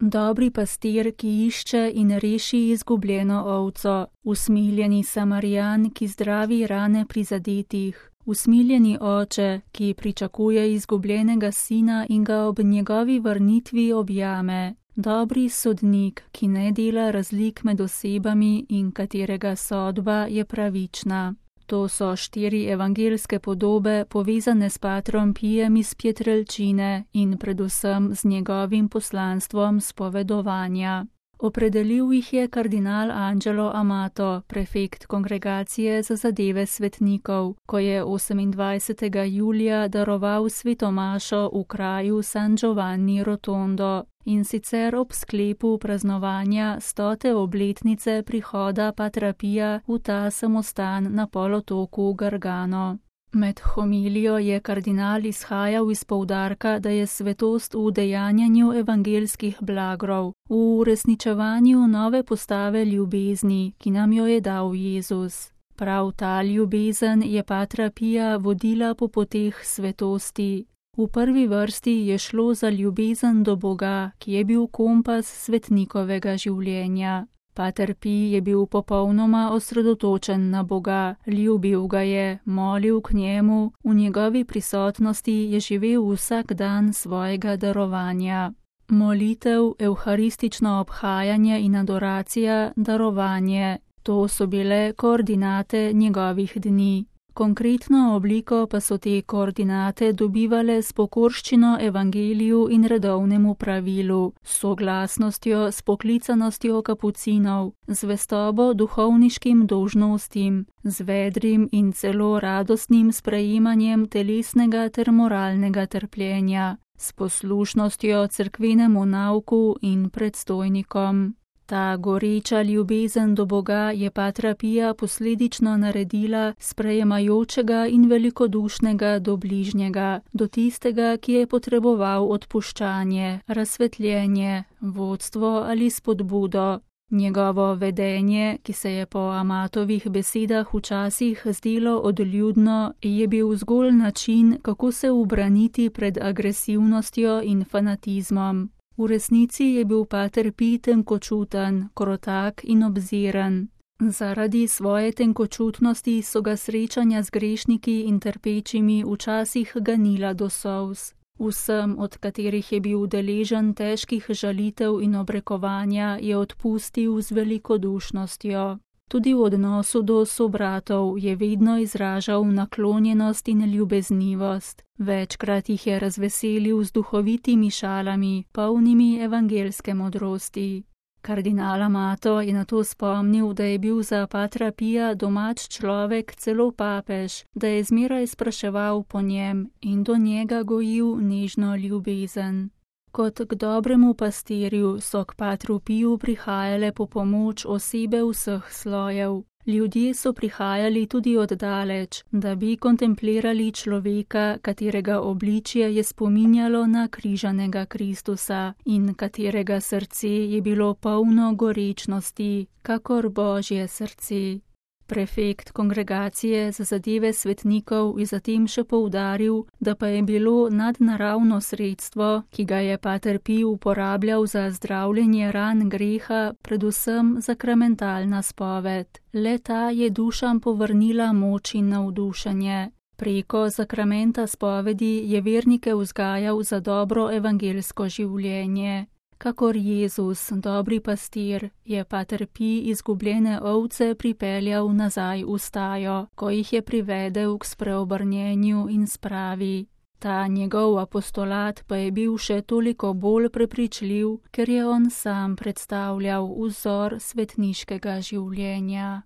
Dobri pastir, ki išče in reši izgubljeno ovco, usmiljeni Samarijan, ki zdravi rane prizadetih, usmiljeni oče, ki pričakuje izgubljenega sina in ga ob njegovi vrnitvi objame, dobri sodnik, ki ne dela razlik med osebami in katerega sodba je pravična. To so 4 evangelske podobe povezane s patrom Pijem iz Pietrelcine in predvsem z njegovim poslanstvom spovedovanja. Opredelil jih je kardinal Angelo Amato, prefekt Kongregacije za zadeve svetnikov, ko je 28. julija daroval svetomašo v kraju San Giovanni Rotondo, in sicer ob sklepu praznovanja 100. obletnice prihoda patra Pija v ta samostan na polotoku Gargano. Med homilijo je kardinal izhajal iz poudarka, da je svetost v udejanjanju evangelskih blagrov, v uresničevanju nove postave ljubezni, ki nam jo je dal Jezus. Prav ta ljubezen je patra Pija vodila po poteh svetosti. V prvi vrsti je šlo za ljubezen do Boga, ki je bil kompas svetnikovega življenja. Pater Pij je bil popolnoma osredotočen na Boga, ljubil ga je, molil k njemu, v njegovi prisotnosti je živel vsak dan svojega darovanja. Molitev, evharistično obhajanje in adoracija, darovanje, to so bile koordinate njegovih dni. Konkretno obliko pa so te koordinate dobivale s pokorščino evangeliju in redovnemu pravilu, s soglasnostjo, s poklicanostjo kapucinov, zvestobo duhovniškim dolžnostim, z vedrim in celo radostnim sprejemanjem telesnega ter moralnega trpljenja, s poslušnostjo cerkvenemu nauku in predstojnikom. Ta goreča ljubezen do Boga je patra Pija posledično naredila sprejemajočega in velikodušnega do bližnjega, do tistega, ki je potreboval odpuščanje, razsvetljenje, vodstvo ali spodbudo. Njegovo vedenje, ki se je po Amatovih besedah včasih zdelo odljudno, je bil zgolj način, kako se ubraniti pred agresivnostjo in fanatizmom. V resnici je bil pater Pij tenkočuten, krotak in obziren. Zaradi svoje tenkočutnosti so ga srečanja z grešniki in trpečimi včasih ganila do solz. Vsem, od katerih je bil deležen težkih žalitev in obrekovanja, je odpustil z velikodušnostjo. Tudi v odnosu do sobratov je vedno izražal naklonjenost in ljubeznivost. Večkrat jih je razveselil z duhovitimi šalami, polnimi evangelske modrosti. Kardinal Amato je na to spomnil, da je bil za patra Pija domač človek celo papež, da je zmeraj spraševal po njem in do njega gojil nežno ljubezen. Kot k dobremu pastirju so k patru Piju prihajale po pomoč osebe vseh slojev. Ljudje so prihajali tudi oddaleč, da bi kontemplirali človeka, katerega obličje je spominjalo na križanega Kristusa in katerega srce je bilo polno gorečnosti, kakor Božje srce. Prefekt Kongregacije za zadeve svetnikov je zatem še poudaril, da pa je bilo nadnaravno sredstvo, ki ga je pater Pij uporabljal za zdravljenje ran greha, predvsem sakramentalna spoved. Le-ta je dušam povrnila moč in navdušenje. Preko sakramenta spovedi je vernike vzgajal za dobro evangelsko življenje. Kakor Jezus, dobri pastir, je pater Pij izgubljene ovce pripeljal nazaj v stajo, ko jih je privedel k spreobrnjenju in spravi. Ta njegov apostolat pa je bil še toliko bolj prepričljiv, ker je on sam predstavljal vzor svetniškega življenja.